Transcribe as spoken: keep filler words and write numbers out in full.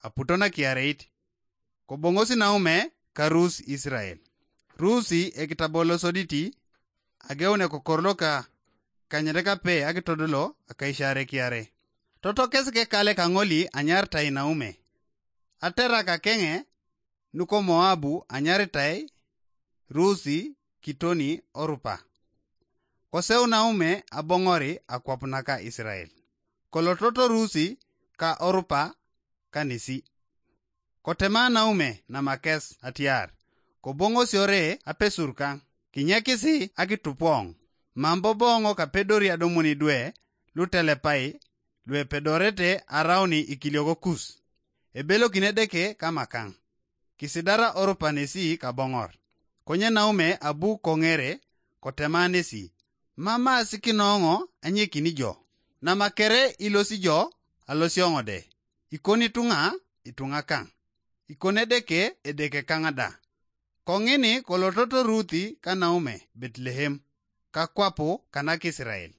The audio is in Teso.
aputo nakiareit. Koboŋosi naume ka Rusi Israel. Rusi ekitabo losoditi ageun ekokor loka kanyete kape akitodolo akaisare kiare. Toto kes kekale kaŋoli anyaritai naume. Aterak akeŋe nuko Moabu anyaritai Rusi kitoni Orupa. Koseu naume aboŋori akwap naka Israel. Kolototo Rusi ka Orupa kanisi. Kotema naume namakes atiar, koboŋosiore apesur kaŋ, kinyekisi akitupoŋ, mam boboŋo kapedori adomoni dwe lutelepai luepedorete arauni ikilioko kus. Ebelokini Edeke kamakaŋ. Kisidara Orupa nesi kaboŋor. Konye naume abu koŋere kotema nesi, mama sikinoŋo anyekini jo. Namakere ilosi jo alosioŋo de. Ikoni tuŋa ituŋa kaŋ. Ikoni Edeke Edeke kaŋ da. Koŋini kolototo Ruthi ka naume Betlehem, kakwapu kanak Israel.